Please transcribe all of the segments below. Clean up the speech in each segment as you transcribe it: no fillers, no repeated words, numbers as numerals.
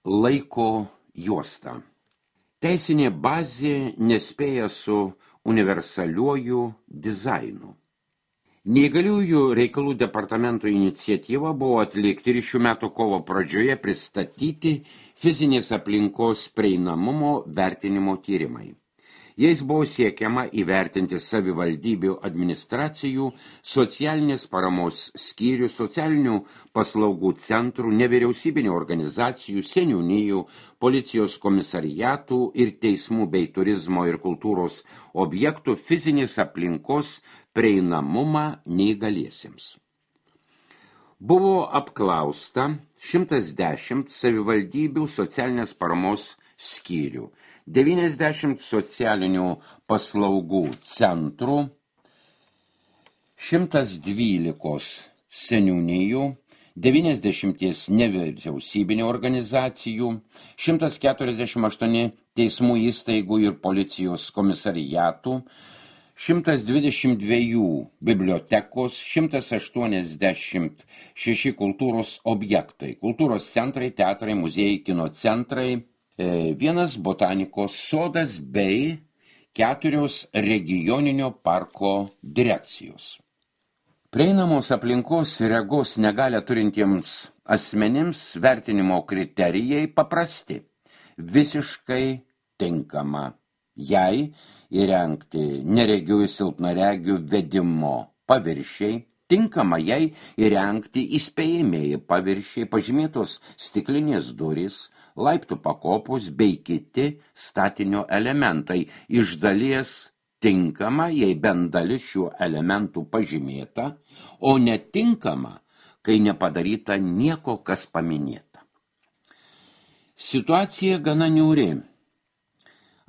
Laiko juosta. Teisinė bazė nespėja su universaliuoju dizainu. Neįgaliųjų reikalų departamento iniciatyva buvo atlikti ir šių metų kovo pradžioje pristatyti fizinės aplinkos prieinamumo vertinimo tyrimai. Jais buvo siekiama įvertinti savivaldybių administracijų, socialinės paramos skyrių, socialinių paslaugų centrų, nevyriausybinių organizacijų, seniūnijų, policijos komisariatų ir teismų bei turizmo ir kultūros objektų fizinės aplinkos prieinamumą neįgaliesiems. Buvo apklausta 110 savivaldybių socialinės paramos skyrių, 90 socialinių paslaugų centrų, 112 seniūnijų, 90 nevyriausybinių organizacijų, 148 teismų įstaigų ir policijos komisariatų, 122 bibliotekos, 186 kultūros objektai, kultūros centrai, teatrai, muziejai, kino centrai, vienas botanikos sodas bei 4 regioninio parko direkcijos. Prieinamos aplinkos regos negalią turintiems asmenims vertinimo kriterijai paprasti. Visiškai tinkama jai įrengti neregių ir silpnaregių vedimo paviršiai, tinkama jai įrengti įspėjamieji paviršiai, pažymėtos stiklinės durys, laiptų pakopos bei kiti statinio elementai. Iš dalies tinkama, jei bent dalis šių elementų pažymėta, o netinkama, kai nepadaryta nieko, kas paminėta. Situacija gana niūri.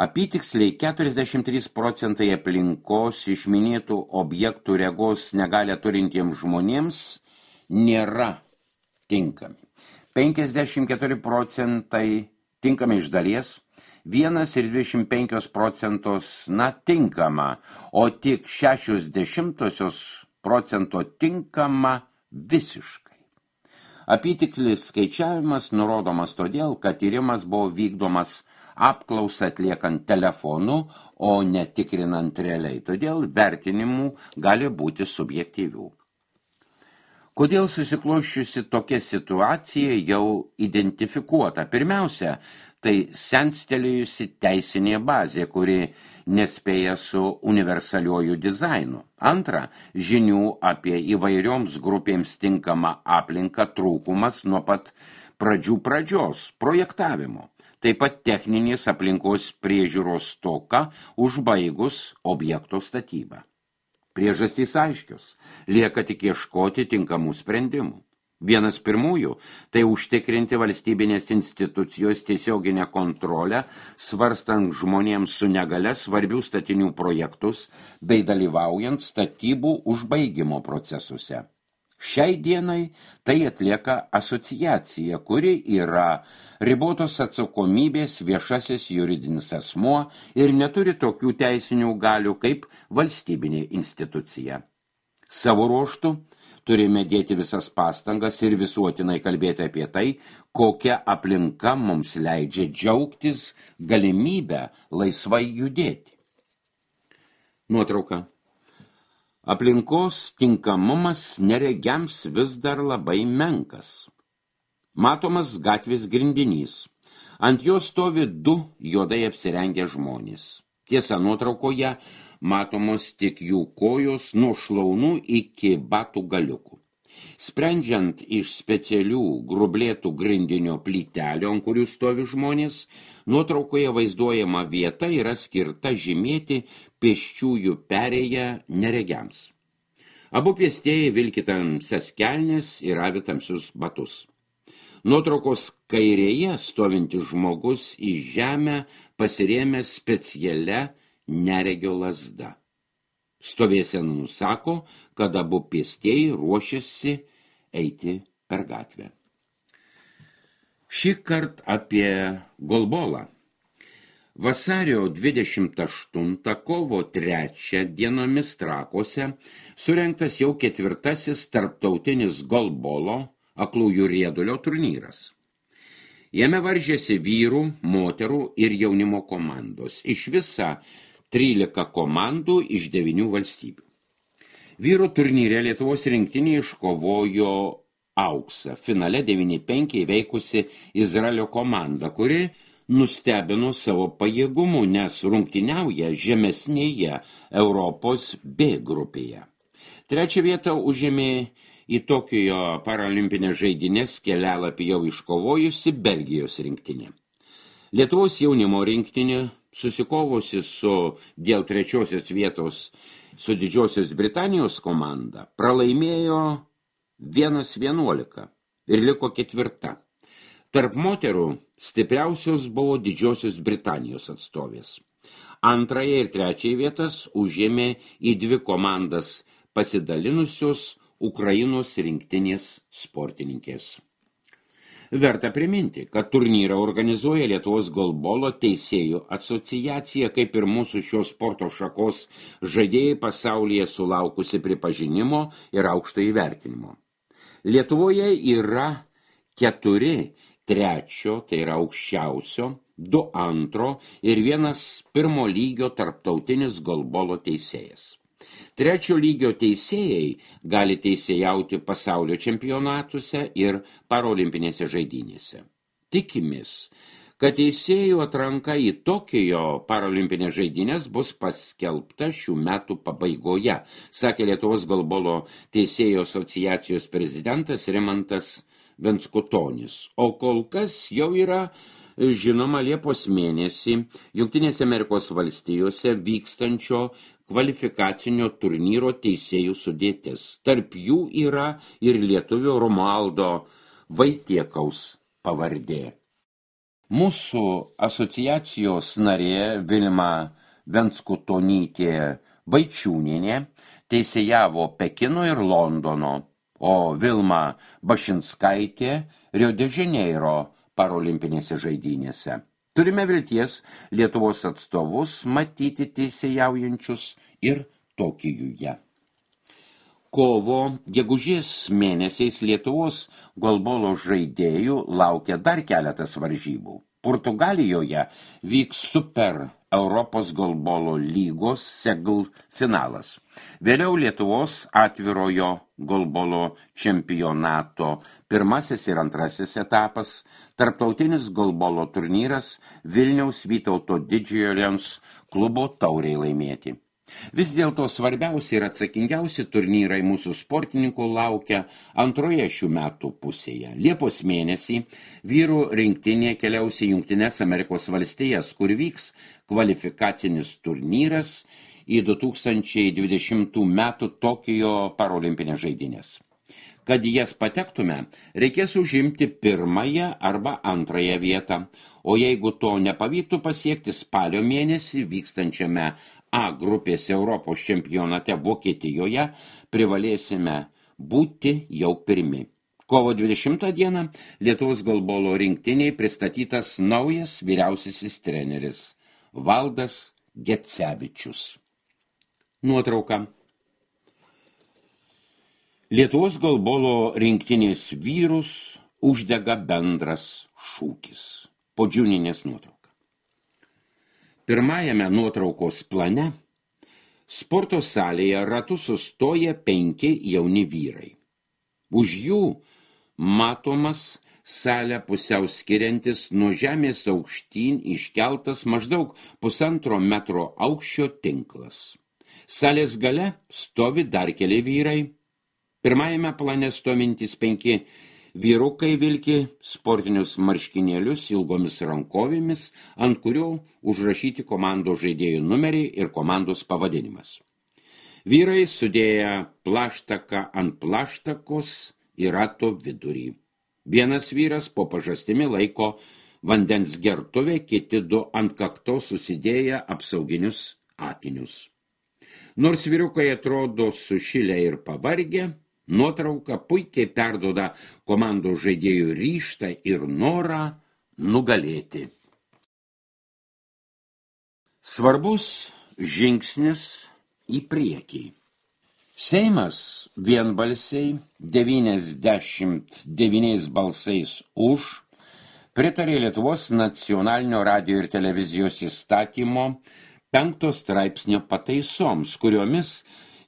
Apytiksliai 43% aplinkos iš minėtų objektų regos negalią turintiems žmonėms nėra tinkami. 54% tinkami iš dalies, 1,25% tinkama, o tik 0,6% tinkama visiškai. Apytiklis skaičiavimas nurodomas todėl, kad tyrimas buvo vykdomas apklausą atliekant telefonu, o netikrinant realiai, todėl vertinimų gali būti subjektyvių. Kodėl susikloščiusi tokia situacija jau identifikuota? Pirmiausia, tai senstelėjusi teisinė bazė, kuri nespėja su universaliuoju dizainu. Antra, žinių apie įvairioms grupėms tinkamą aplinką trūkumas nuo pat pradžios projektavimo. Taip pat techninės aplinkos priežiūros stoka užbaigus objekto statybą. Priežastys aiškios, lieka tik ieškoti tinkamų sprendimų. Vienas pirmųjų – tai užtikrinti valstybinės institucijos tiesioginę kontrolę, svarstant žmonėms su negale svarbių statinių projektus bei dalyvaujant statybų užbaigimo procesuose. Šiai dienai tai atlieka asociacija, kuri yra ribotos atsakomybės viešasis juridinis asmuo ir neturi tokių teisinių galių kaip valstybinė institucija. Savo ruožtu turime dėti visas pastangas ir visuotinai kalbėti apie tai, kokia aplinka mums leidžia džiaugtis galimybę laisvai judėti. Nuotrauka. Aplinkos tinkamumas neregiams vis dar labai menkas. Matomas gatvės grindinys. Ant jo stovi 2 juodai apsirengę žmonės. Tiesa, nuotraukoje matomos tik jų kojos nuo šlaunų iki batų galiukų. Sprendžiant iš specialių grublėtų grindinio plytelių, ant kurių stovi žmonės, nuotraukoje vaizduojama vieta yra skirta žymėti pėsčiųjų perėją neregiams. Abu pėstieji vilki tamsias kelnes ir avi tamsius batus. Nuotraukos kairėje stovintis žmogus į žemę pasirėmęs specialia neregio lazda. Stovėsena nusako, kad abu pėstieji ruošiasi eiti per gatvę. Šįkart apie golbolą. Vasario 28 kovo 3 dienomis Trakuose surengtas jau 4. tarptautinis golbolo aklųjų riedulio turnyras. Jame varžėsi vyrų, moterų ir jaunimo komandos. Iš viso 13 komandų iš 9 valstybių. Vyrų turnyre Lietuvos rinktinė iškovojo auksą. Finale 9-5 įveikusi Izraelio komanda, kuri nustebino savo pajėgumu, nes rungtyniauja žemesnėje Europos B grupėje. Trečią vietą užėmė į Tokijo paralimpinės žaidynės kelialapį jau iškovojusi Belgijos rinktinė. Lietuvos jaunimo rinktinė, susikovusi dėl trečiosios vietos su Didžiosios Britanijos komanda, pralaimėjo 1:11 ir liko 4. Tarp moterų stipriausios buvo Didžiosios Britanijos atstovės. Antrąją ir trečiąją vietas užėmė į 2 komandas pasidalinusios Ukrainos rinktinės sportininkės. Verta priminti, kad turnyrą organizuoja Lietuvos golbolo teisėjų asociacija, kaip ir mūsų šios sporto šakos žaidėjai pasaulyje sulaukusi pripažinimo ir aukšto įvertinimo. Lietuvoje yra 4 trečio, tai yra aukščiausio, 2 antro ir 1 pirmo lygio tarptautinis golbolo teisėjas. Trečio lygio teisėjai gali teisėjauti pasaulio čempionatuose ir parolimpinėse žaidynėse. Tikimės, kad teisėjų atranka į Tokijo parolimpinės žaidynės bus paskelbta šių metų pabaigoje, sakė Lietuvos golbolo teisėjų asociacijos prezidentas Rimantas Venskutonis. O kol kas jau yra žinoma Liepos mėnesį Jungtinėse Amerikos valstijose vykstančio kvalifikacinio turnyro teisėjų sudėtis. Tarp jų yra ir lietuvio Romualdo Vaitiekaus pavardė. Mūsų asociacijos narė Vilma Venskutonytė Vaičiūnienė teisėjavo Pekino ir Londono, o Vilma Bašinskaitė Rio de Žaneiro parolimpinėse žaidynėse. Turime vilties Lietuvos atstovus matyti teisėjaujančius ir Tokijuje. Kovo, gegužės mėnesiais Lietuvos golbolo žaidėjų laukia dar keletas varžybų. Portugalijoje vyks Super Europos golbolo lygos Segl finalas. Vėliau Lietuvos atvirojo golbolo čempionato 1. ir 2. etapas, tarptautinis golbolo turnyras Vilniaus Vytauto Didžiojo Lions klubo tauriai laimėti. Vis dėlto svarbiausi ir atsakingiausi turnyrai mūsų sportininkų laukia antroje šių metų pusėje. Liepos mėnesį vyrų rinktinė keliaus į Jungtines Amerikos valstijas, kur vyks kvalifikacinis turnyras į 2020 metų Tokijo parolimpinės žaidynės. Kad į jas patektume, reikės užimti 1. arba 2. vietą, o jeigu to nepavyktų pasiekti spalio mėnesį vykstančiame A grupės Europos čempionate Vokietijoje, privalėsime būti jau pirmi. Kovo 20 dieną Lietuvos golbolo rinktiniai pristatytas naujas vyriausiasis treneris Valdas Gecevičius. Nuotrauka. Lietuvos golbolo rinktinės vyrus uždega bendras šūkis. Podžiūninės nuotrauka. Pirmajame nuotraukos plane sporto salėje ratu sustoja 5 jauni vyrai. Už jų matomas salę pusiau skiriantis nuo žemės aukštyn iškeltas maždaug 1,5 metro aukščio tinklas. Salės gale stovi dar keli vyrai. Pirmajame plane stovintys 5 vyrukai vilki sportinius marškinėlius ilgomis rankovėmis, ant kurio užrašyti komandos žaidėjų numeriai ir komandos pavadinimas. Vyrai sudėję plaštaką ant plaštakos į rato vidurį. Vienas vyras po pažastimi laiko vandens gertuvę, kiti 2 ant kaktos susidėję apsauginius akinius. Nors vyrukai atrodo sušilę ir pavargę, nuotrauka puikiai perduoda komandos žaidėjų ryžtą ir norą nugalėti. Svarbus žingsnis į priekį. Seimas vienbalsiai 99 balsais už pritarė Lietuvos nacionalinio radijo ir televizijos įstatymo 5 straipsnio pataisoms, kuriomis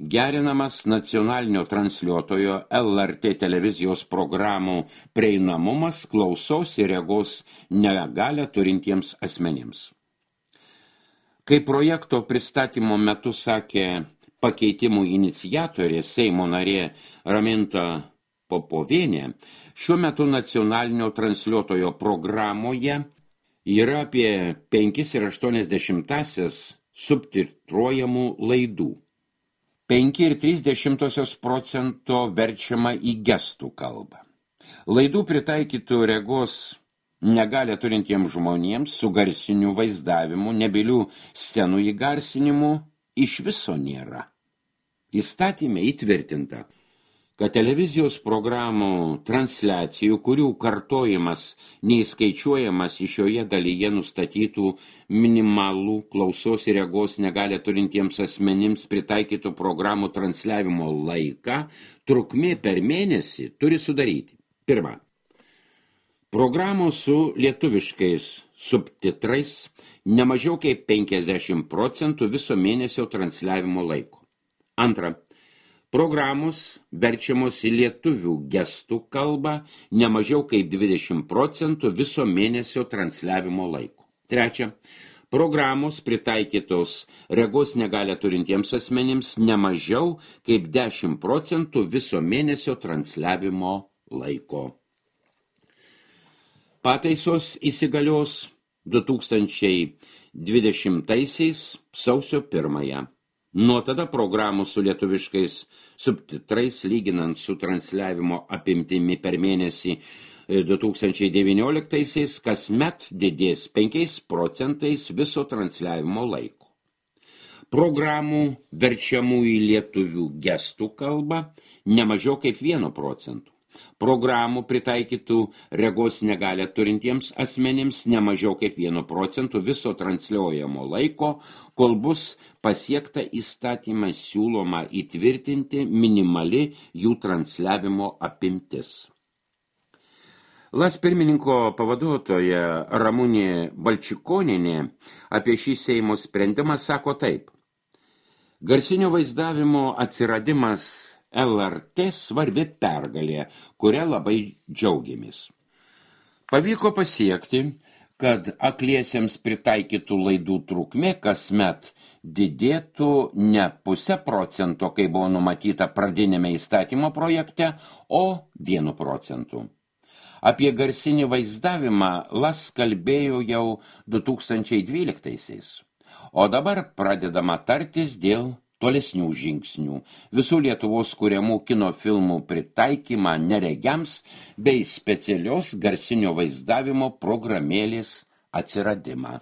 gerinamas nacionalinio transliuotojo LRT televizijos programų prieinamumas klausos ir regos negalią turintiems asmenims. Kai projekto pristatymo metu sakė pakeitimų iniciatorė Seimo narė Raminta Popovienė, šiuo metu nacionalinio transliuotojo programoje yra apie 5,8 subtitruojamų laidų. 5,3% verčiama į gestų kalbą. Laidų pritaikytų regos negalią turintiems žmonėms su garsiniu vaizdavimu, nebylių scenų įgarsinimu iš viso nėra. Įstatyme įtvirtinta, kad televizijos programų transliacijų, kurių kartojimas neįskaičiuojamas iš šioje dalyje nustatytų minimalų klausos ir regos negalią turintiems asmenims pritaikytų programų transliavimo laiką, trukmė per mėnesį turi sudaryti. Pirma, programų su lietuviškais subtitrais nemažiau kaip 50% viso mėnesio transliavimo laiko. Antra, programos verčiamos į lietuvių gestų kalbą nemažiau kaip 20% viso mėnesio transliavimo laiko. Trečia, programos pritaikytos regos negalią turintiems asmenims nemažiau kaip 10% viso mėnesio transliavimo laiko. Pataisos įsigalios 2020 sausio 1. Nuo tada programų su lietuviškais subtitrais, lyginant su transliavimo apimtimi per mėnesį 2019 kasmet didės 5% viso transliavimo laiko. Programų verčiamų į lietuvių gestų kalbą nemažiau kaip 1%. Programų pritaikytų regos negalią turintiems asmenims nemažiau kaip 1% viso transliuojamo laiko, kol bus pasiekta įstatymą siūloma įtvirtinti minimali jų transliavimo apimtis. LAS pirmininko pavaduotoja Ramunė Balčikonienė apie šį Seimo sprendimą sako taip. Garsinio vaizdavimo atsiradimas LRT svarbi pergalė, kuria labai džiaugiamės. Pavyko pasiekti, kad akliesiems pritaikytų laidų trukmė kasmet didėtų ne 0,5%, kai buvo numatyta pradinėme įstatymo projekte, o 1%. Apie garsinį vaizdavimą LAS kalbėjo jau 2012, o dabar pradedama tartis dėl tolesnių žingsnių, visų Lietuvos kuriamų kino filmų pritaikymą neregiams bei specialios garsinio vaizdavimo programėlės atsiradimą.